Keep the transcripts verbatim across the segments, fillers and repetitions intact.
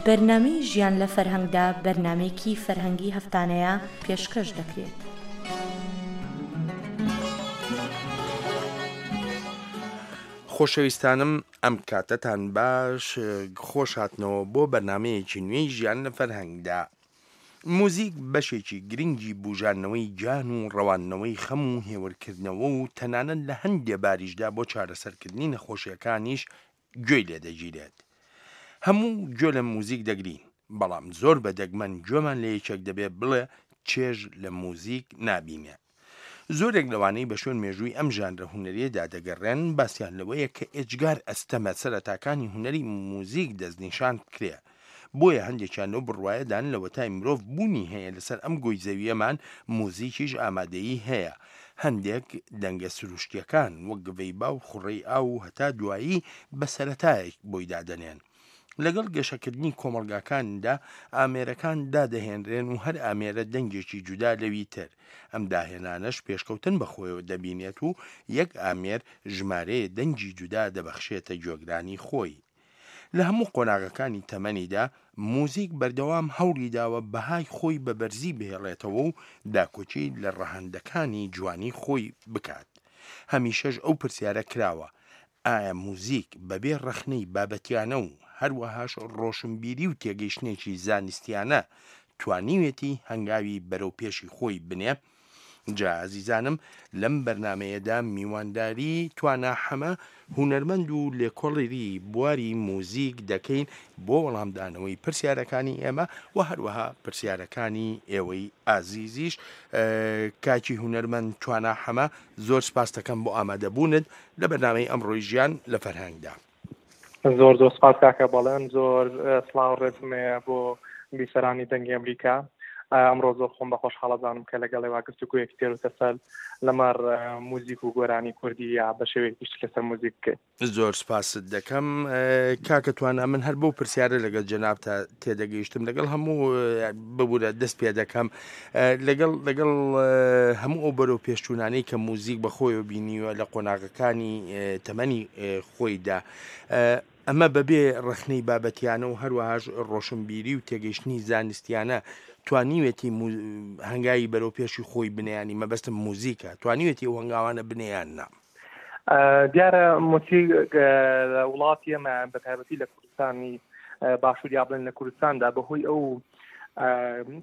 بەرنامەی ژیان لە فەرهەنگدا بەرنامەیەکی فەرهەنگی هەفتانەیە پێشکەش دەکرێت. خۆشەویستانم، ئەم کاتەتان باش. خۆش هاتنەوە بۆ بەرنمەیەکی نوێی ژیان لە فەرهەنگدا. موزیک بەشێکی گرنگی بژانەوەی گیان و ڕەواندنەوەی خەم و هێورکردنەوە و تەنانەت لە هەندێ باریشدا بۆ چارەسەرکردنی نەخۆشیەکانیش گوێی لێدەگیرێت. هەموو گوێ لە موزیک دەگرین، بەڵام زۆر بە دەگمەن گوێمان لە یەکێک دەبێت بڵێ چێژ لە موزیک نابینێ. زۆرێک لەوانەی بە شوێن مێژووی ئەم ژانرە هونەریەدا دەگەڕێن باسییان لەوەیە کە ئێجگار ئەستەمە سەرەتاکانی هونەری موزیک دەستنیشان بکرێ. بۆیە هەندێکیان لەو بڕوایەدان لەوەتای مرۆڤ بوونی هەیە لەسەر ئەم گۆی زەویەمان موزیکیش ئامادەیی هەیە. هەندێک دەنگە سروشتیەکان وەک گڤەی با و خوڕەی ئاو و هەتا دوایی بە سەرەتایەک بۆی دادەنێن. لەگەڵ گەشەکردنی کۆمەڵگاکاندا ئامێرەکان دادەهێنرێن و هەر ئامێرە دەنگێکی جودا لەوی تر. ئەم داهێنانەش پێشکەوتن بەخۆیەوە دەبینێت و یەک ئامێر ژمارەیە دەنگی جودا دەبەخشێتە گوێگرانی خۆی. لە هەموو قۆناغەکانی تەمەنیدا موزیک بەردەوام هەوڵی داوە بەهای خۆی بە بەرزی بهێڵێتەوە و داکۆکی لە ڕەهەندەکانی جوانی خۆی بکات. هەمیشەش ئەو پرسیارە کراوە، ئایا موزیک بەبێ ڕەخنەی بابەتیانە و هەروەهاش ڕۆشنبیری و تێگەیشتنێکی زانستیانە توانیوێتی هەنگاوی بەرەو پێشی خۆی بنێ؟ جا ئازیزانم، لەم بەرنمەیەدا میوانداری توانا حەمە، هونەرمەند و لێکۆڵێری بواری موزیک دەکەین بۆ وەڵامدانەوەی پرسیارەکانی ئێمە و هەروەها پرسیارەکانی ئێوەی ئازیزیش. کاکی هونەرمەند توانا حەمە، زۆر سپاس دەکەم بۆ ئامادەبوونت لە بەرنامەی ئەمڕۆی ژیان لە فەرهەنگدا. زۆر زۆر سپاس کاکە بەڵێن، زۆر سڵاو ڕێزم هەیە بۆ بیسەرانی دەنگی ئەمریکا. ئەمڕۆ زۆر خۆم بە خۆشحاڵە زانم کە لەگەڵ ئێوە گفتوگۆیەکی تێر و تەسەل لەمەڕ موزیک و گۆرانی کوردی یا بە شێوەیەکی گشتی لەسەر موزیک بکەین. زۆر سپاست دەکەم کاکە توانا. من هەر بەو پرسیارە لەگەڵ جەنابتا تێدەگەیشتم، لەگەڵ هەموو ببوورە دەست پێ دەکەم، لەگەڵ لەگەڵ هەموو ئەو بەرەو پێشچوونانەی کە موزیک بەخۆیەوە بینیوە لە قۆناغەکانی تەمەنی خۆیدا، ئەمە بەبێ ڕەخنەی بابەتیانە و هەروەهاش ڕۆشنبیری و تێگەیشتنی زانستیانە توانیوێتی هەنگاوی بەرەو پێشی خۆی بنیانی، مەبەستم موزیکە، توانیوێتی ئەو هەنگاوانە بنیان نا؟ دیارە موزیک لە وڵاتی ئێمە بە تایبەتی لە کوردستانی باشوور یا بڵێن لە کوردستاندا بەهۆی ئەو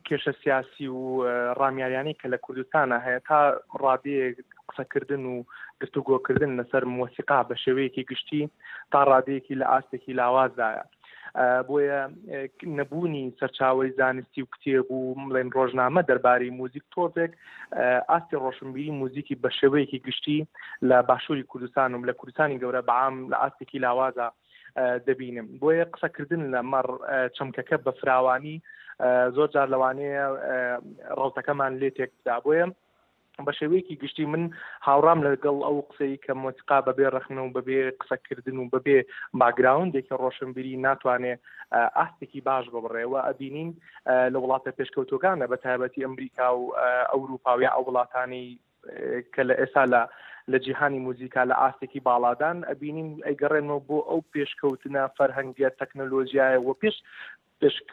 کێشە سیاسی و ڕامیاریانەی کە لە کوردستانە هەیە تا ڕادەیەک قسەکردن و گفتوگۆکردن لەسەر مۆسیقا بە شێوەیەکی گشتی تا ڕادەیەکی لە ئاستێکی لاوازدایە. بۆیە نەبوونی سەرچاوەی زانستی و کتێب و بڵێن ڕۆژنامە دەربارەی موزیک تۆزێک ئاستی ڕۆشنبیری موزیکی بە شێوەیەکی گشتی لە باشووری کوردستان و لە کوردستانی گەورە بەعام لە ئاستێکی لاوازە دەبینم. بۆیە قسەکردن لە مەڕ چەمکەکە بە فراوانی زۆر جار لەوانەیە ڕەوتەکەمان لێ تێک بدا. بۆیە بە شێوەیەکی گشتی من هاوڕام لەگەڵ ئەو قسەی کە مۆسیقا بەبێ ڕەخنە و بەبێ قسەکردن و بەبێ باگراوندێکی ڕۆشنبیری ناتوانێ ئاستێکی باش ببڕێ. و ئەبینین لە وڵاتە پێشکەوتوەکانە بە تایبەتی ئەمریکا و ئەوروپا و یا ئەو وڵاتانەی کە لە ئێستا لە لە جیهانی موزیکا لە ئاستێکی باڵادان، ئەبینین ئەیگەڕێنەوە بۆ ئەو پێشکەوتنە فەرهەنگیە تەکنەلۆژیایە و پێش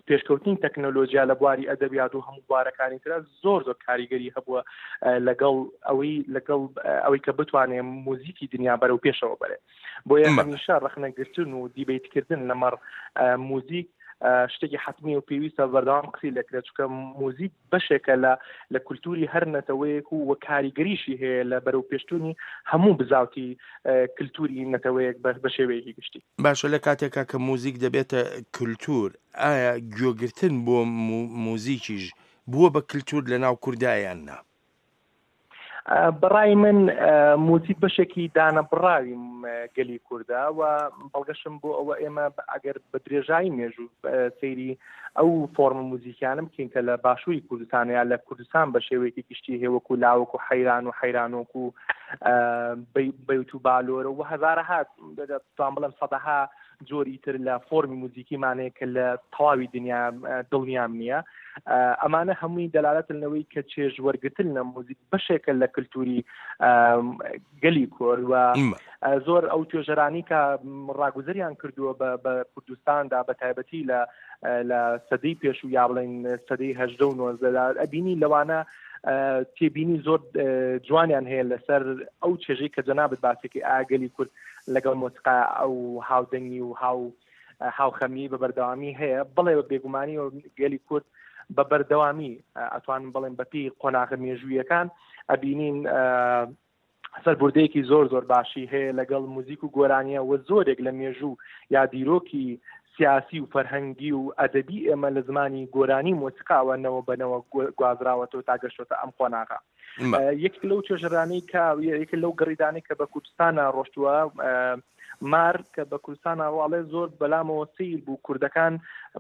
پێشکەوتنی تەکنەلۆژیا لە بواری ئەدەبیات و هەموو بوارەکانی ترا زۆر زۆر کاریگەری هەبووە لەگەڵ ئەوەی لەگەڵ ئەوەی کە بتوانێت موزیکی دنیا بەرەو پێشەوە بەرێ. بۆیە هەمیشە ڕەخنەگرتن و debate کردن لەمەڕ موزیک شتێکی حتمی و پێویستە بەردەوام قسەی لەکرێت، چونکە موزیک بەشێکە لە لە کولتوری هەر نەتەوەیەک و وە کاریگەریشی هەیە لە بەرەو پێشتونی هەموو بزاوتی کللتوری نەتەوەیەک بە شێوەیەکی گشتی. باشە، لە کاتێکا کە موزیک دەبێتە کللتور، ئایا گوێگرتن بۆ موزیکیش بووە بە کللتور لە ناو کوردایان نا؟ بەڕای من موزیک بەشێکی دانەبڕاوی گەلی کووردا و بەڵگەشم بۆ ئەوە ئێمە ئەگەر بە درێژایی مێژوو سەیری ئەو فۆرمە موزیکیانە بکەین کە لە باشووری کوردستان یا لە کوردستان بە شێوەیەکی گشتی هەیە، وەکو لاوەک و حەیران و حەیرانۆک و بەیت و بالۆرە و هەزارەها، توان بڵێم سەدەها جۆری تر لە فۆرمی موزیکیمانەیە کە لە تەواوی دنیا دڵنیام نییە. ئەمانە هەمووی دەلالەتن لەوەی کە چێژ وەرگتن لە موزیک بەشێکە لە کللتوری گەلی کورد و زۆر ئەو توێژەرانی کە ڕاگوزەریان کردووە بە کوردستاندا بە تایبەتی لە لە سەدەی پێشوو یا بڵێن سەدەی هەژدە و نۆزدەدا ئەبینی لەوانە تێبینی زۆر جوانیان هەیە لەسەر ئەو چێژەی کە جەنابت باسێکی ئاگەلی کورد لەگەڵ مۆسیقا ئەو هاودەنگی و هاو هاوخەمی بە بەردەوامی هەیە. بڵێ بە بێگومانی و گەلی کورد بە بەردەوامی ئەتوانم بڵێن بەپی قۆناغە مێژوویەکان ئەبینین سەربوردەیەکی زۆر زۆر باشی هەیە لەگەڵ موزیک و گۆرانیە و زۆرێک لە مێژوو یا دیرۆکی سیاسی و فەرهەنگی و ئەدەبی ئێمە لە زمانی گۆرانی مۆسیقاوە نەوە بەنەوە گوازراوەتەوە تا گەشتۆتە ئەم قۆناغە. یەک لەو توێژەرانەی کە یەک لەو گەڕیدانەی کە بە کوردستانە ڕۆشتووە مار کە بە کوردستانە ڕواڵێ زۆر بەلامەوە سەیر بوو کوردەکان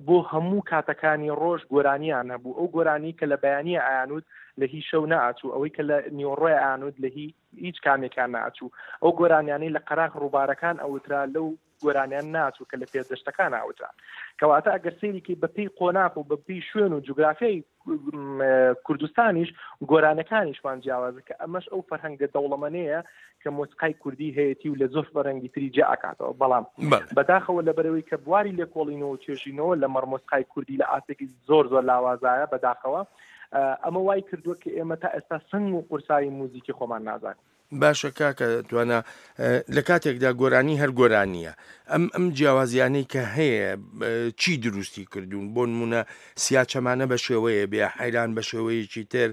بۆ هەموو کاتەکانی ڕۆژ گۆرانیان هەبوو. ئەو گۆرانی کە لە بەیانیە ئایانوت لە هی شەو ناچوو، ئەوەی کە لە نیوەڕۆی ئایانوت لە هی هیچ کامێکیان ناچوو، ئەو گۆرانیانەی لە قەراغ ڕووبارەکان ئەوترا لەو گۆرانیان ناچوو کە لە پێدەشتەکان ئاوترا. کەواتە ئەگەر سەیرێکی بەپێی قۆناغ و بەپێی شوێن و جوگرافیای کوردستانیش گۆرانەکانیشمان جیاوازە کە ئەمەش ئەو فەرهەنگە دەوڵەمەنەیە کە مۆسیقای کوردی هەیەتی و لە زۆر فەرهەنگی تری جیا ئەکاتەوە. بەڵام بەداخەوە لەبەرەوەی کە بواری لێکۆڵینەوە و توێژینەوە لە مەڕ مۆسیقای کوردی لە ئاستێکی زۆر زۆر لاوازایە بەداخەوە ئەمە وای کردووە کە ئێمە تا ئێستا سنگ و قورسایی موزیکی خۆمان نازانین. باشە کاکە توانا، لە کاتێکدا گۆرانی هەر گۆرانیە، ئەم ئەم جیاوازیانەی کە هەیە چی دروستی کردوون؟ بۆ نمونە سیاچەمانە بە شێوەیە بێ، حەیران بە شێوەیەکی تر،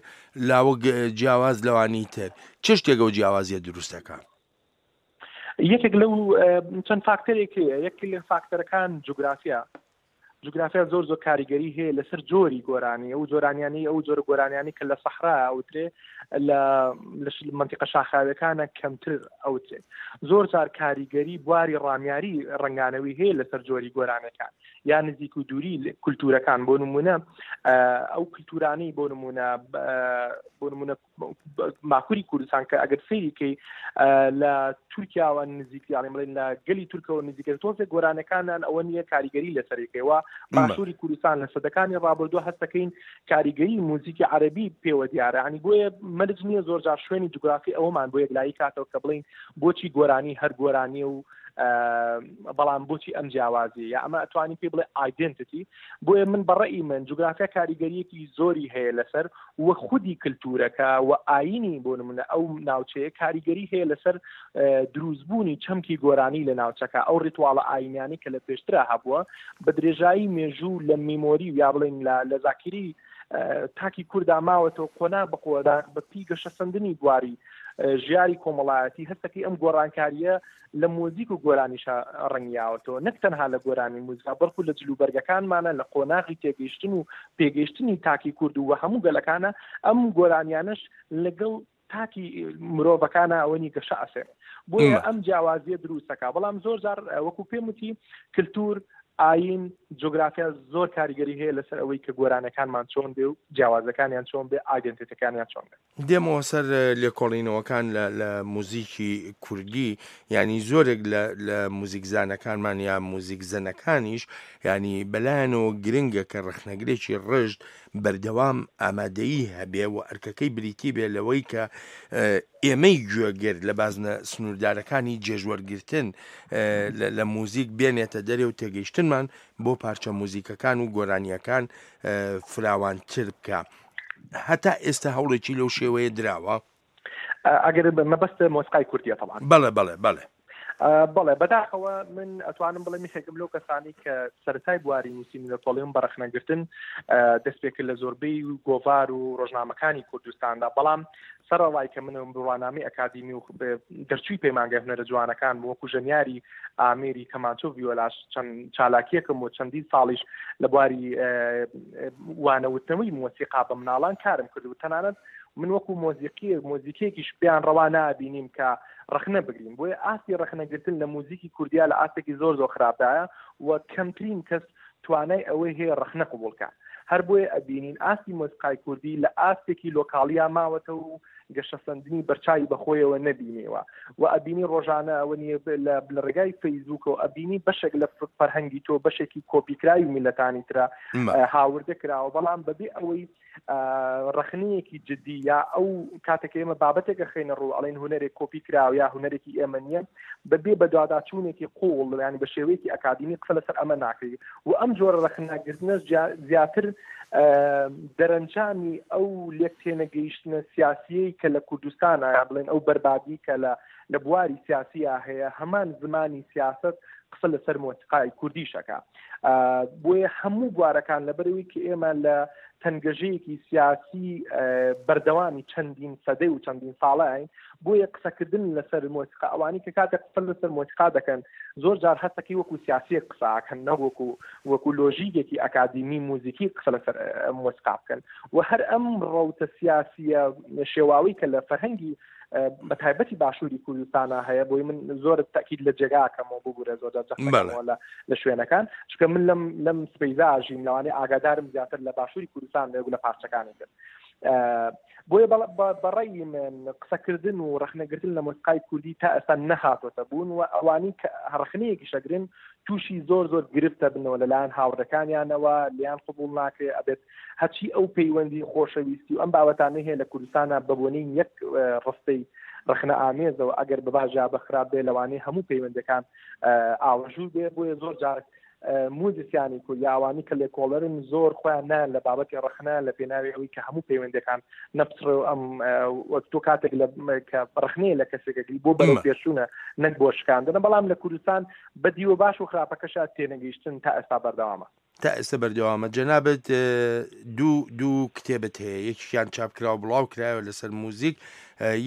لاوەک جیاواز لەوانی تر، چ شتێک ئەو جیاوازیە دروستەکە؟ یەکێک لەو چەند فاکتەرێک هەیە. یەکێک لە فاکتەرەکان جوگرافیا. جوگرافیا زۆر زۆر کاریگەری هەیە لەسەر جۆری گۆرانی، ئەو جۆرانیانی ئەو جۆرە گۆرانیانی کە لە سەحرا ئەوترێ لە منتیقە شاخاویەکانە کەمتر ئەوترێ. زۆر جار کاریگەری بواری ڕامیاری ڕەنگانەوەی هەیە لەسەر جۆری گۆرانەکان یا نزیک و دووری کولتورەکان. بۆ نمونە ئەو کولتورانەی بۆ نمونە بۆ نمونە باکووری کوردستان کە ئەگەر سەیریکەی لە تورکیاوە نزیک یاڵێ بڵێن لە گەلی تورکەوە نزیکە تۆزێک گۆرانەکانیان ئەوە نییە کاریگەری لەسەرێکەوە. باشووری کوردستان لە سەدەکانی ڕابردووە هەستەکەین کاریگەری موزیکی عەرەبی پێوە دیارە. ینی بۆیە مەرج نییە زۆر جار شوێنی جوگرافی ئەوەمان بۆ یەکلایی کاتەوە کە بڵین بۆچی گۆرانی هەر گۆرانیە و بەڵام بۆچی ئەم جیاوازی یا ئەمە ئەتوانی پێ بڵێ identity. بۆیە من بەڕەئی من جوگرافیا کاریگەریەکی زۆری هەیە لەسەر وە خودی کللتورەکە و ئاینی بۆ نمونە ئەو ناوچەیە کاریگەری هەیە لەسەر دروستبوونی چەمکی گۆرانی لە ناوچەکە. ئەو ڕیتواڵە ئاینیانی کە لە پێشترا هەبووە بە درێژایی مێژوو لە میمۆری و یا بڵێن لە زاکیری تاکی کووردا ماوەتەوە قۆناغ بە قۆناغ بە پێی گەشەسەندنی بواری ژیاری کۆمەڵایەتی هەستەکەی ئەم گۆڕانکاریە لە مۆزیک و گۆرانیشە ڕەنگیاوەتەوە، نەک تەنها لە گۆرانی موزیکا بەڵکو لە جلوبەرگەکانمانە لە قۆناغی تێگەیشتن و پێگەیشتنی تاکی کورد و هەموو گەلەکانە ئەم گۆرانیانش لەگەڵ تاکی مرۆڤەکانە ئەوەنی گەشە ئەسێن. بۆیە ئەم جیاوازیە دروستەکە. بەڵام زۆر جار وەکو پێم وتی کللتور، ئاین، جوگرافیا زۆر کاریگەری هەیە لەسەر ئەوەی کە گۆرانەکانمان چۆن بێ و جیاوازەکانیان چۆن بێ، ئایدنتیتەکانیان چۆن بێ. دێمەوە سەر لێکۆڵینەوەکان لە موزیکی کوردی، ینی زۆرێک لە موزیکزانەکانمان یا موزیکزەنەکانیش ینی بەلایەنەوە گرنگە کە ڕەخنەگرێکی ڕژد بەردەوام ئامادەیی هەبێ و ئەرکەکەی بریتی بێ لەوەی کە ئێمەی گوێگر لە بازنە سنووردارەکانی جێژوەرگرتن لە موزیک بێنێتە دەرێ و تێگەیشتنمان بۆ پارچە موزیکەکان و گۆرانیەکان فراوانتر بکە. هەتا ئێستا هەوڵێکی لەو شێوەیە دراوە؟ ئەگەر مەبەست مۆسیقای کوردیە طبعا. بەڵێ بەڵێ بەڵێ بەڵێ بەداخەوە من ئەتوانم بڵێم یەکێکم لەو کەسانی کە سەرەتای بواری نووسین لە تۆڵیم بە ڕەخنەگرتن دەست پێکرد لە زۆربەی گۆڤار و ڕۆژنامەکانی کوردستاندا، بەڵام سەرەڕای کە منم بڕوانامەی ئەکادیمی و دەرچووی پەیمانگای هونەرە جوانەکان وەکو ژەنیاری ئامێری کەمانچۆ ڤیۆلاش چەند چالاکیەکەم و چەندین ساڵیش لە بواری وانەوتنەوەی مۆسیقا بە مناڵان کارم کرد و تەنانەت من وەکو مۆزیقی مۆزیکێکیش پێیان ڕەوا نابینیم کە ڕەخنە بگرین. بۆیە ئاستی ڕەخنەگرتن لە موزیکی کوردیا لە ئاستێکی زۆر زۆر خراپدایە و کەمترین کەس توانای ئەوەی هەیە ڕەخنە قبوڵکە. هەر بۆیە ئەبینین ئاستی مۆسیقای کوردی لە ئاستێکی لۆکاڵیا ماوەتەوە و گەشەسەندنی بەرچاوی بەخۆیەوە نەبینیوە و ئەبینی ڕۆژانە ئەوە نییە لە ڕێگای فەیسبووکەوە ئەبینی بەشێک لە فەرهەنگی تۆ بەشێکی کۆپیکراوی میلەتانی ترە هاوردە کراوە، بەڵام بەبێ ئەوەی ڕەخنەیەکی جدی یا ئەو کاتێک ئێمە بابەتێکە خەینە ڕوو ئەڵێن هونەرێک کۆپی کراوە یا هونەرێکی ئێمە نییە، بەبێ بەدواداچوونێکی قوڵ ینی بە شێوەیەکی ئەکادیمی قسە لەسەر ئەمە ناکرێت و ئەم جۆرە ڕەخنەگرتنە زیاتر دەرەنجامی ئەو لێک تێنەگەیشتنە سیاسیەی کە لە کوردستانە یا بڵێن ئەو بەربادی کە لە لە بواری سیاسیە هەیە، هەمان زمانی سیاست قسە لەسەر مۆسیقای کوردیشەکە. بۆیە هەموو بوارەکان لەبەرەوەی کە ئێمە لە تەنگەژەیەکی سیاسی بەردەوامی چەندین سەدەی و چەندین ساڵین، بۆیە قسەکردن لەسەر مۆسیقا ئەوانی کە کاتێک قسە لەسەر مۆسیقا دەکەن زۆر جار هەستەکەی وەکو سیاسیەک قساکەن نە وەکو وەکو لۆژیکێکی ئەکادیمی موزیکی قسە لەسەر مۆسیقا بکەن. و هەر ئەم ڕەوتە سیاسیە شێواوی کە لە فەرهەنگی بە تایبەتی باشووری کوردستانە هەیە، بۆی من زۆر تەکید لە جێگاکەمەوە ببوورە زۆر جەختەکەمەوە لە شوێنەکان، چونکە من لەم لەم سپەیزا ئاژیم لەوانەیە ئاگادارم زیاتر لە باشووری کوردستان بێ و لە پارچەکانی تر. بۆیە بەڕێی من قسەکردن و ڕەخنەگرتن لە مۆسیقای کوردی تا ئێستا نەهاتۆتە بوون و ئەوانی کە ڕەخنەیەکی شەگرن تووشی زۆر زۆر گرفتە بنەوە لەلایەن هاوڕەکانیانەوە، لیان قبوڵ ناکرێ. ئەبێت هەرچی ئەو پەیوەندی خۆشەویستی و ئەم بابەتانە هەیە لە کوردستانە بەبوونی یەک ڕستەی ڕەخنە ئامێزەوە ئەگەر بەباژا بەخراپ بێ لەوانەیە هەموو پەیوەندەکان ئاوەژوو بێ. بۆیە زۆر جار موزیسیانی کورد یا ئەوانی کە لێکۆڵەرن زۆر خۆیان نایەن لە بابەتی ڕەخنە لە پێناوی ئەوەی کە هەموو پەیوەندەکان نەپچڕێ و ئەم وەک تۆ کاتێک کە ڕەخنەیە لە کەسێکەگری بۆ بەرەو پێشوونە نەک بۆ شکاندنە. بەڵام لە کوردستان بە دیوە باش و خراپەکەشا تێنەگەیشتن تا ئێستا بەردەوامە. تا ئێستا بەردەوامە. جەنابت دوو دوو کتێبت هەیە، یەکیان چاپکراوە بڵاو کرایەوە لەسەر موزیک،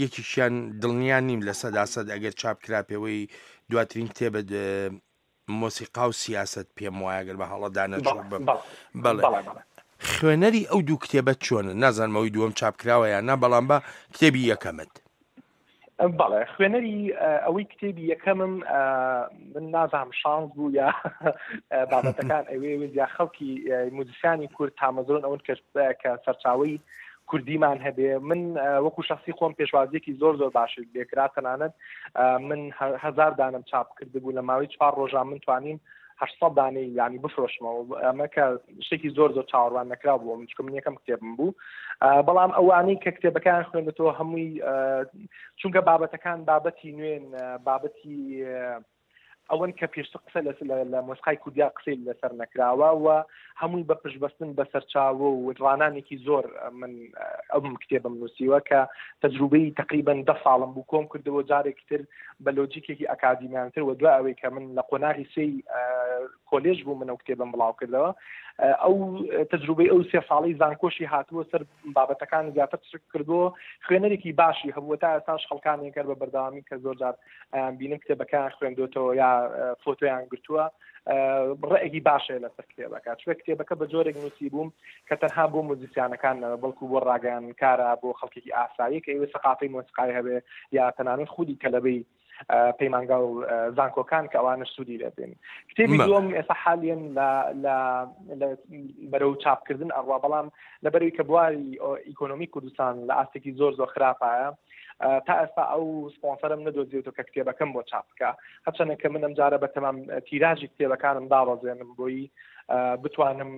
یەکیشیان دڵنیا نیم لە سەدا سەد ئەگەر چاپ کرا پێوەی دواترین کتێبت مۆسیقا و سیاست پێم وایە گەر بە هەڵەدا نەچوو بم. بەڵێ خوێنەری ئەو دوو کتێبە چۆنە؟ نازانم ئەوی دووەم چاپ کراوە یان نا، بەڵام بە کتێبی یەکەمت. بەڵێ خوێنەری ئەوەی کتێبی یەکەمم من نازانم شانس بوو یا بابەتەکان ئەوێ یا خەڵکی موزیسیانی کورد تامەزرۆن ئەون کە سەرچاوەی کوردیمان هەبێ. من وەکو شخصی خۆم پێشوازیەکی زۆر زۆر باش لێکرا، تەنانەت من هەزار دانم چاپ کردبوو لە ماوەی چوار ڕۆژان من توانیم هەشت سەد دانەی ینی بفرۆشمەوە. ئەمە کە شتێکی زۆر زۆر چاوەڕوان نەکرا بوو، من چونکە من یەکەم کتێبم بوو. بەڵام ئەوانەی کە کتێبەکان خوێندێتەوە هەمووی چونکە بابەتەکان بابەتی نوێن، بابەتی ئەوەن کە پێشتر قسە لە مۆسیقای کوردیا قسەی لەسەر نەکراوە و هەمووی بە پشتبەستن بە سەرچاوە و ڕانانێکی زۆر من ئەم کتێبم نووسیوە کە تەجروبەی تقریبا دە ساڵم بوو کۆم کردەوە جارێکی تر بە لۆجیکێکی ئەکادیمیانتر و دوای ئەوەی کە من لە قۆناغی سێی کۆلێژ بوو من ئەو کتێبم بڵاو کردەوە، ئەو تەجروبەی ئەو سێ ساڵی زانکۆشی هاتووە سەر بابەتەکان زیاتر چرک کردووە، خوێنەرێکی باشی هەبووە. تا ئێستاش خەڵکانێک هەر بە بەردەوامی کە زۆر جار بینم کتێبەکان خوێندوتەوە یا فۆتۆیان گرتووە، ڕێکی باشەیە لەسەر کتێبەکە. چونکە کتێبەکە بە جۆرێک نووسی بووم کە تەنها بۆ موزیسیانەکان نەبێ، بەڵکو بۆ ڕاگەیاندنکارە، بۆ خەڵکێکی ئاسایی کە ئێوە سەقافەی مۆسیقای هەبێ یا تەنانەت خودی تەلەبەی پەیمانگا و زانکۆکان کە ئەوانە سوودی لێبێن. کتێبی دووەم ئێستا حالیەن لە بەرەو چاپکردن ئەڕوا، بەڵام لەبەرەوەی کە بواری ئیکۆنۆمی کوردستان لە ئاستێکی زۆر زۆر خراپایە تا ئێستا ئەو سپۆنسەرم نەدۆزیێتەوە کە کتێبەکەم بۆ چاپ بکە. هەرچەندە کە من ئەمجارە بە تەمام تیراژی کتێبەکانم دابەزێنم بۆی بتوانم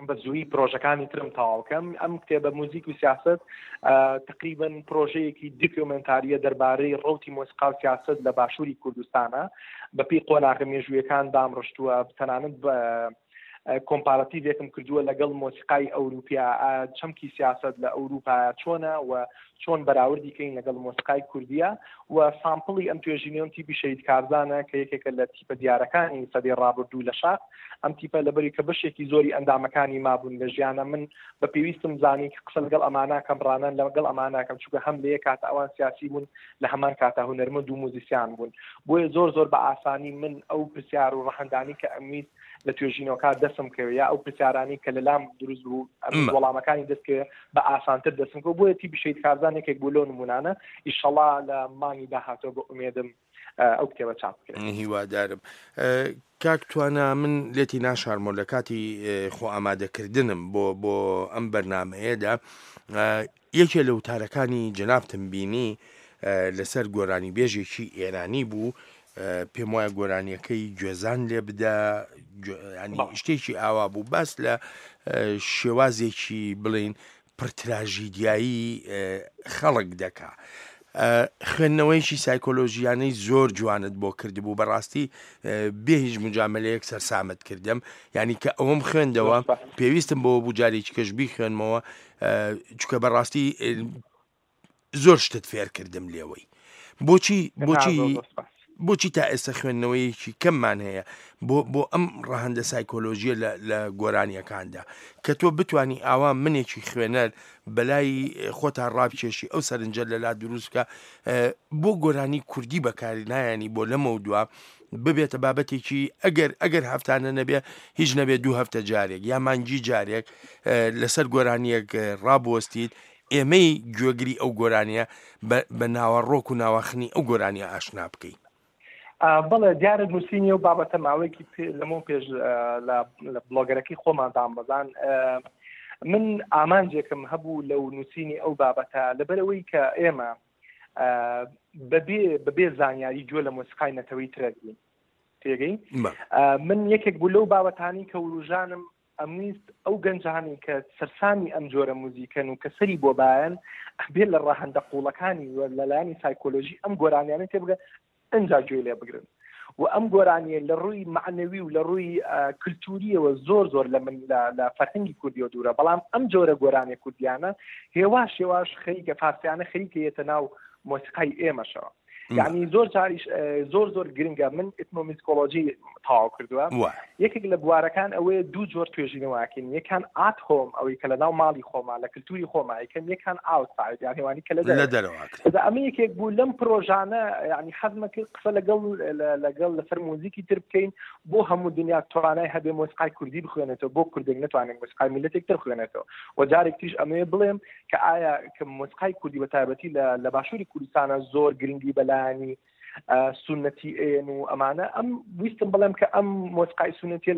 بە زووی پرۆژەکانی ترم تەواوکەم. ئەم کتێبە موزیک و سیاست تقریبا پرۆژەیەکی دیکۆمنتاریە دەربارەی ڕەوتی مۆسیقا و سیاست لە باشووری کوردستانە، بەپێی قۆناغە مێژوویەکان دامڕشتووە، تەنانەت بە کۆمپاراتیڤێکم کردووە لەگەڵ مۆسیقای ئەوروپیا، چەمکی سیاست لە ئەوروپا چۆنە و چۆن بەراوردی کەین لەگەڵ مۆسیقای کوردیە. و سامپڵی ئەم توێژینەوەم تیپی شەهید کارزانە کە یەکێکە لە تیپە دیارەکانی سەدەی ڕابردوو لە شاخ. ئەم تیپە لەبەری کە بەشێکی زۆری ئەندامەکانی مابوون لە ژیانە، من بە پێویستم زانی کە قسە لەگەڵ ئەماناکەم، ڕانان لەگەڵ ئەماناکەم، چونکە هەم لە یەک کاتە ئەوان سیاسی بوون، لە هەمان کاتە هونەرمەند و موزیسیان بوون. بۆیە زۆر زۆر بە ئاسانی من ئەو پرسیار و ڕەهەندانی کە ئەمویست لە توێژینەوەکە دەسم کەوێ یا ئەو پرسیارانی کە لەلام دروست بوو وەڵامەکانی دەستکەوێ بە ئاسانتر دەسم کەوە. بۆیە تیپی شەهید کارزان یەکێک بوو لەو نمونانە. ئیشەڵا لە مانگی داهاتوە بە ئومێدم ئەو کتێبە چاپ بکرێت. هیوادارم. کاک توانا، من لێتی ناشارمەوە لە کاتی خۆ ئامادەکردنم بۆ بۆ ئەم بەرنمەیەدا یەکێ لە وتارەکانی جەنابتم بینی لەسەر گۆرانی بێژێکی ئێرانی بوو، پێم وایە گۆرانیەکەی گوێزان لێ بدە، ینی شتێکی ئاوا بوو، باس لە شێوازێکی بڵین پرتراژیدیایی خەڵک دەکا. خوێندنەوەیەکی سایکۆلۆژیانەی زۆر جوانت بۆ کردبوو، بەڕاستی بێ هیچ مجاملەیەک سەرسامت کردم، یعنی کە ئەوەم خوێندەوە پێویستم بۆ بوو جارێکی کەش بیخوێنمەوە، چونکە بەڕاستی زۆر شتت فێر کردم لێوەی. بۆچی بۆچی بۆچی تا ئێستا خوێندنەوەیەکی کەممان هەیە بۆ بۆ ئەم ڕەهەندە سایکۆلۆژیە لە گۆرانیەکاندا کە تۆ بتانی ئاوا منێکی خوێنەر بەلای خۆتا ڕابکێشی ئەو سەرنجە لەلا دروستکە بۆ گۆرانی کوردی بەکاری نایانی بۆ لەمە دووە ببێتە بابەتێکی ئەگەر ئەگەر هەفتانە نەبێ هیچ نەبێ دوو هەفتە جارێک یا مانگی جارێک لەسەر گۆرانیەک ڕابوەستیت، ئێمەی گوێگری ئەو گۆرانیە بە ناوەڕۆک و ناواخنی ئەو گۆرانیە ئاشنا بکەین. بەڵێ دیارە نووسینی ئەو بابەتە ماوەیەکی لەمەو پێش لە بلۆگەرەکەی خۆمان دامبەزان من ئامانجێکم هەبوو لەو نووسینی ئەو بابەتە، لەبەرەوەی کە ئێمە بەبێ بەبێ زانیاری گوێ لە مۆسیقای نەتەوەی ترەگرین تێگەی. من یەکێک بوو لەو بابەتانی کە وروژانم ئەمویست ئەو گەنجانی کە سەرسامی ئەم جۆرە موزیکەن و کە سەری بۆ بایەن بێ لە ڕەهەندە قوڵەکانی و لەلایەنی سایکۆلۆژی ئەم گۆرانیانە تێبگە ئەنجا گوێ لێ بگرن. و ئەم گۆرانیە لە ڕووی معنەوی و لە ڕووی کللتوریەوە زۆر زۆر لە من لە فەرهەنگی کوردیەوە دوورە، بەڵام ئەم جۆرە گۆرانیە کوردیانە هێواش هێواش خەریکە فارسیانە خەریکە یەتە ناو مۆسیقای ئێمەشەوە. یعنی زۆر جاریش زۆر زۆر گرنگە. من ئەتنۆمیزیکۆلۆژی تەواو کردووە، یەکێک لە بوارەکان ئەوەیە دوو جۆر توێژینەوەکەین، یەکان at home ئەوەی کە لە ناو ماڵی خۆما لە کللتوری خۆما یەکەم، یەکان outside یعنی وانی کە لە دەرەوە. ئەمە یەکێک بوو لەم پرۆژانە، یعنی حەزمە کرد قسە لەگەڵ لەگەڵ لەسەر موزیکی تر بکەین بۆ هەموو دنیا توانای هەبێ مۆسیقای کوردی بخوێنێتەوە، بۆ کوردێک نتوانێت مۆسیقای میللەتێک تر بخوێنێتەوە. و جارێک تریش ئەمەیە بڵێم کە ئایا کە مۆسیقای کوردی بە تایبەتی لە باشووری کوردستانە زۆر گرنگی بەلایەنی سونەتی ئێن و ئەمانە، ئەم ویستم بڵێم کە ئەم مۆسیقای سونەتیە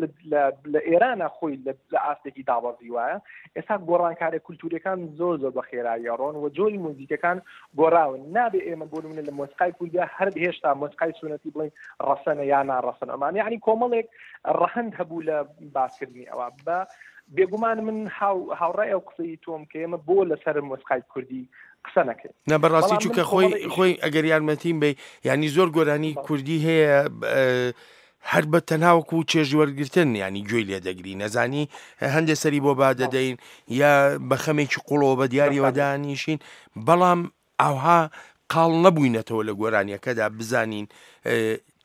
لە ئێرانە خۆی لە ئاستێکی دابەزی وایە. ئێستا گۆڕانکارە کولتوریەکان زۆر زۆر بە خێرایی ڕۆن و جۆری موزیکەکان گۆڕاون. نابێ ئێمە بۆ نمونە لە مۆسیقای کوردیا هەر هێشتا مۆسیقای سونەتی بڵێن ڕەسەنە یا ناڕەسەن ئەمانە، یعنی کۆمەڵێک ڕەهەند هەبوو لە باسکردنی ئەوە. بە بێگومان من هاوڕای ئەو قسەی تۆم کە ئێمە بۆ لەسەر مۆسیقای کوردی قسە نەکەین. نه بەڕاستی چونکە خۆی خۆی ئەگەر یارمەتیم بی، یعنی زۆر گۆرانی کوردی هەیە هەر بە تەناوەکو چێژوەرگرتن ینی گوێی لێ دەگری، نەزانی هەندێک سەری بۆ با دەدەین یا بە خەمێکی قوڵەوە بە دیاریەوە دانیشین، بەڵام ئاوها قاڵ نەبووینەتەوە لە گۆرانیەکەدا بزانین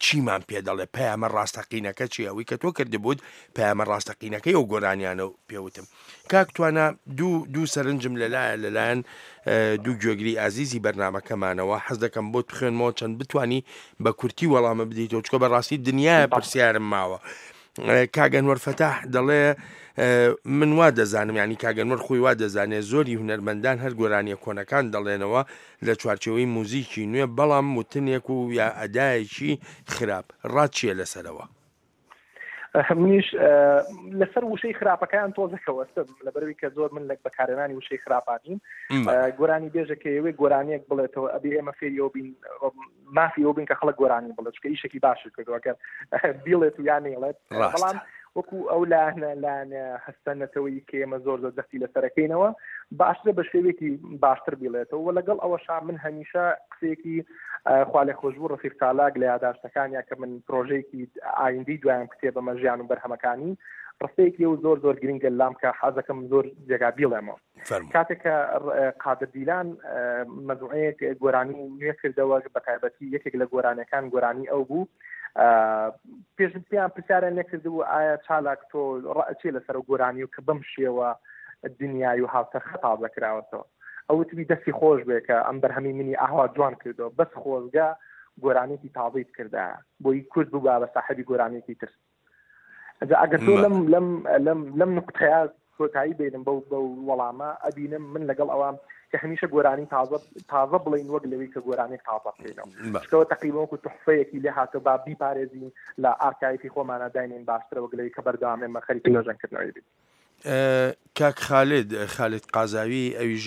چیمان پێ دەڵێ، پەیامە ڕاستەقینەکە چی، ئەوەی کە تۆ کردبووت پەیامە ڕاستەقینەکەی ئەو گۆرانیانە پێوتم. کاک توانا دوو دوو سەرنجم لەلایە لەلایەن دوو گوێگری ئازیزی بەرنامەکەمانەوە حەز دەکەم بۆت بخوێنمەوە چەند بتانی بە کورتی وەڵامە بدەیتەوە، چونکە بەڕاستی دنیایە پرسیارم ماوە. کاک ئەنوەر فەتاح دەڵێ من وا دەزانم، ینی کاک ئەنوەر خۆی وا دەزانێت زۆری هونەرمەندان هەر گۆرانیە کۆنەکان دەڵێنەوە لە چوارچێوەی موزیکی نوێ، بەڵام وتنێک و یا ئەدایەکی خراپ. ڕات چییە لەسەرەوە؟ منیش لەسەر وشەی خراپەکان تۆزەکەوەستم، لەبەرەوەی کە زۆر من لە بەکارهێنانی وشەی خراپانیم. گۆرانی بێژە کە ئێوەی گۆرانیەک بڵێتەوە ئەبێ ئێمە فێریەوە بین، مافی ئەوە بین کە خەڵک گۆرانی بڵێت، چونکە ئیشێکی باشی کردووە ئەگەر بیڵێت و یان نەیڵێت. بەڵام وەکو ئەو لایەنە لایەنە هەستە نەتەوەیی کە ئێمە زۆر زۆر جەختی لەسەرەکەینەوە باشترە بە شێوەیەکی باشتر بیڵێتەوە. و لەگەڵ ئەوەشا من هەمیشە قسەیەکی خوالێخۆشبوو ڕەفیق چالاک لە یاداشتەکانیا کە من پرۆژەیەکی ئایندەی دوایان کتێبەمە ژیان و بەرهەمەکانی، ڕستەیەکی ئەو زۆر زۆر گرنگە لام کە حەزەکەم زۆر جێگا بیڵێمەوە. کاتێک کە قادر دیلان مەجموعەیەک گۆرانی نوێ کردەوە، بە تایبەتی یەکێک لە گۆرانیەکان گۆرانی ئەو بوو، پێش پێیان پرسیاریان لێکردبوو ئایا چالاک تۆ ڕەچێ لەسەر ئەو گۆرانی و کە بەم شێوە دنیای و هاوچەرخە تازە کراوەتەوە؟ ئەو وتبی دەستی خۆش بێ کە ئەم بەرهەمی منی ئاوا جوان کردەوە، بەس خۆزگە گۆرانێکی تازەی بکردایە بۆی کورد بوو بە ساحێبی گۆرانێکی تر. ئەگەر تۆ لەم لەم لەم لەم نقطەیە کۆتایی بێنم بەو بەو وەڵامە، ئەبینم من لەگەڵ ئەوام کە هەمیشە گۆرانی تازە تازە بڵین وەک لەوەی کە گۆرانێک تازە بکەینەوە، چونکەوە تەقریبا وەکو تحفەیەکی لێ هاتەوە با بیپارێزین لە ئارکایفی خۆمانە داینین باشترە وەک لەوەی کە بەردەوام ئێمە خەریکی نۆژەنکردنەوەی بین. کاک خالد، خالد قازاوی ئەویش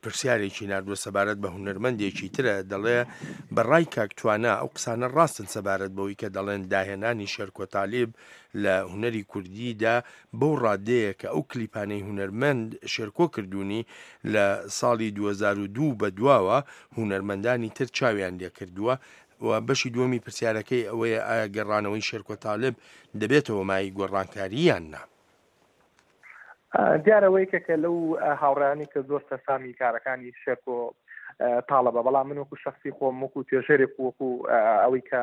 پرسیارێکی ناردووە سەبارەت بە هونەرمەندێکی ترە، دەڵێ بەڕای کاک توانا ئەو قسانە ڕاستن سەبارەت بەوەی کە دەڵێن داهێنانی شێرکۆ تالیب لە هونەری کوردیدا بەو ڕادەیە کە ئەو کلیپانەی هونەرمەند شێرکۆ کردوونی لە ساڵی دوو هەزار و دوو بەدواوە هونەرمەندانی تر چاویان لێکردووە. و بەشی دووەمی پرسیارەکەی ئەوەیە ئایا گەڕانەوەی شێرکۆ تالیب دەبێتەوە مای گۆڕانکاری یان نا؟ دیارەوەی کە لەو هاوڕیانی کە زۆر سەرسامی کارەکانی شێرکۆ تاڵەبە، بەڵام من وەکو شخصی خۆم وەکو توێژەرێک وەکو ئەوەی کە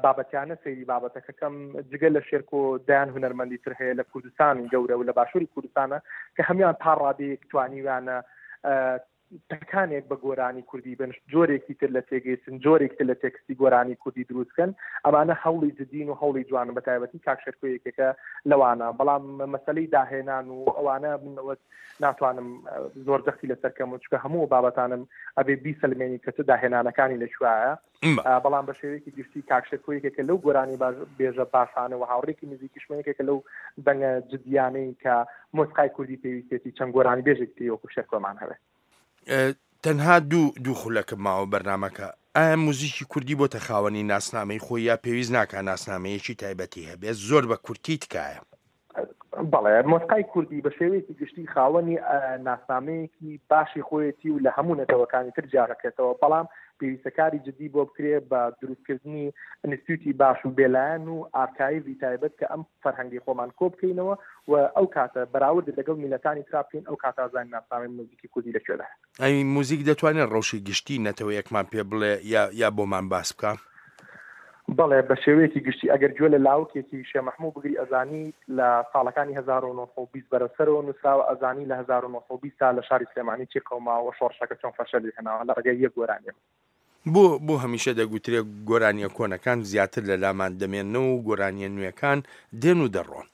بابەتیانە سەیری بابەتەکەکەم، جگە لە شێرکۆ دەیان هونەرمەندی تر هەیە لە کوردستانی گەورە و لە باشووری کوردستانە کە هەموان تا ڕادەیەک توانیویانە تەکانێک بە گۆرانی کوردی بن، جۆرێکی تر لە تێگەیشتن، جۆرێکی تر لە تێکستی گۆرانی کوردی دروستکەن. ئەمانە هەوڵی جدین و هەوڵی جوانن، بە تایبەتی کاک شێرکۆ یەکێکە لەوانە. بەڵام مەسەلەی داهێنان و ئەوانە منەوە ناتوانم زۆر جەختی لەسەر کەم و چونکە هەموو بابەتانم ئەبێ بیسەلمێنی کە چ داهێنانەکانی لەکوایە. بەڵام بە شێوەیەکی گشتی کاک شێرکۆ یەکێکە لەو گۆرانی بێژە باشانە و هاوڕێکی نزیکیشمە، یەکێکە لەو دەنگە جدیانەی کە مۆسیقای کوردی پێویستێتی چەند گۆرانی بێژێکی تری وەکو شێرکۆمان هەبێت. تەنها دوو دوو خولەکە ماوە بەرنامەکە. ئایا موزیکی کوردی بۆتە خاوەنی ناسنامەی خۆی یا پێویست ناکا ناسنامەیەکی تایبەتی هەبێت؟ زۆر بە کورتی تکایە. بەڵێ، مۆسیقای کوردی بە شێوەیەکی گشتی خاوەنی ناسنامەیەکی باشی خۆیەتی و لە هەموو نەتەوەکانی تر جیاڕەکێتەوە، بەڵام پێویستەکاری جدی بۆ بکرێ بە دروستکردنی ئینستیتوتی باش و بێلایەن و ئارکایڤی تایبەت کە ئەم فەرهەنگی خۆمان کۆ بکەینەوە و ئەو کاتە بەراورد لەگەڵ میلەتانی ترا بکەین، ئەو کاتە زانین ناسنامەی موزیکی کوردی لەکوێدا. ئەی موزیک دەتوانێت ڕەوشی گشتی نەتەوەیەکمان پێ بڵێ یا یا بۆمان باس بکە؟ بەڵێ، بە شێوەیەکی گشتی ئەگەر گوێ لە لاوکێکی شێ مەحموو بگری ئەزانی لە ساڵەکانی هەزار و نۆ سەد و بیست بەرەو سەرەوە نووسراوە، ئەزانی لە هەزار و نۆ سەد و بیست تا لە شاری سلێمانی چی قەوماوە و شۆڕشەکە چۆن فەشەلی هێناوە لە ڕێگەی یەک گۆرانیەوە. بۆ بۆ هەمیشە دەگوترێ گۆرانیە کۆنەکان زیاتر لە لامان دەمێنەوە و گۆرانیە نوێکان دێن و دەڕۆن؟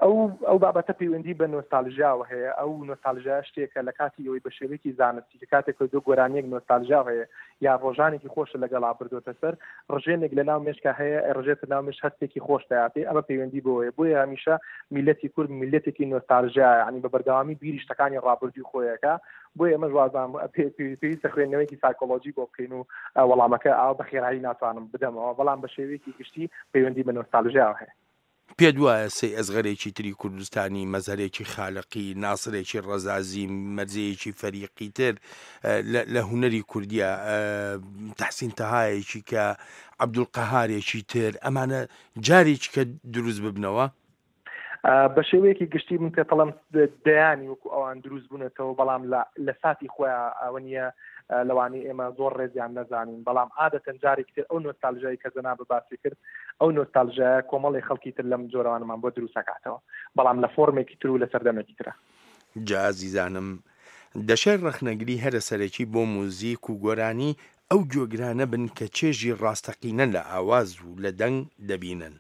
ئەو ئەو بابەتە پەیوەندی بە نۆستالژیاوە هەیە. ئەو نۆستالژیا شتێکە لە کاتی ئەوەی بە شێوەیەکی زانستی کە کاتێک کە دۆ گۆرانیەک نۆستالژیا هەیە یا ڕۆژانێکی خۆشە لەگەڵا بردۆتە سەر، ڕژێنێک لە ناو مێشکا هەیە، ڕژێتە ناو مێش هەستێکی خۆش دەیاتێ، ئەمە پەیوەندی بۆیە. بۆیە هەمیشە میلەتی کورد میلەتێکی نۆستالژیایە، یعنی بە بەردەوامی بیری شتەکانی ڕابردووی خۆیەکە. بۆیە ئێمەش وازانم پێویستە خوێندنەوەیەکی سایکۆلۆژی بۆ بکەین و وەڵامەکە ئاوا بە خێرایی ناتوانم بدەمەوە، بەڵام بە شێوەیەکی گشتی پەیوەندی بە نۆستالژیاوە هەیە. پێت وایە سەی ئەزغەرێکی تری کوردستانی، مەزهەرێکی خالقی، ناسرێکی ڕەزازی، مەرزەیەکی فەریقی تر لە هونەری کوردیە، تەحسین تەهایەکی کە عەبدولقەهارێکی تر، ئەمانە جارێکی کە دروست ببنەوە؟ بە شێوەیەکی گشتی من پێتەڵم دەیانی وەکو ئەوان دروست بوونەتەوە، بەڵام لە ساتی خۆیان ئەوە نییە لەوانەیە ئێمە زۆر ڕێزیان نەزانین، بەڵام عادەتەن جارێکی تر ئەو نۆستالژیای کە جەناب باسی کرد، ئەو نۆستالژیایە کۆمەڵی خەڵکی تر لەم جۆرەوانمان بۆ دروستەکاتەوە، بەڵام لە فۆرمێکی تر و لە سەردەمێکی ترە. جا ئازیزانم، دەشێت ڕەخنەگری هەرە سەرەکی بۆ موزیک و گۆرانی ئەو گوێگرانە بن کە چێژی ڕاستەقینە لە ئاواز و لە دەنگ دەبینن،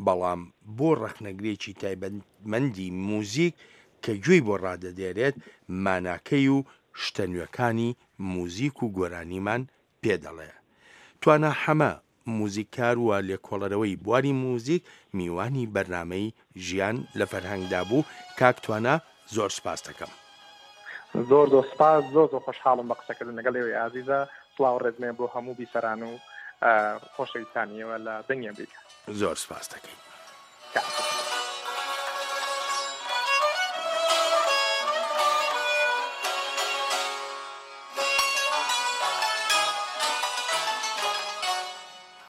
بەڵام بۆ ڕەخنەگرێکی تایبەتمەندی موزیک کە گوێی بۆ ڕادەدێرێت، ماناکەی و شتە نوێکانی موزیک و گۆرانیمان پێدەڵێ. توانا حەمە، موزیککار و لێکۆڵەرەوەی بواری موزیک، میوانی بەرنامەی ژیان لە فەرهەنگدا بوو. کاک توانا زۆر سپاس دەکەم. زۆر زۆر سپاس، زۆر زۆر خۆشحاڵم بە قسەکردن لەگەڵ ئێوەی ئازیزە. سڵاو ڕێزمێ بۆ هەموو بیسەران و خۆشەویستانیەوە لە دەنگی ئەمریکا. زۆر سپاس دەکەین.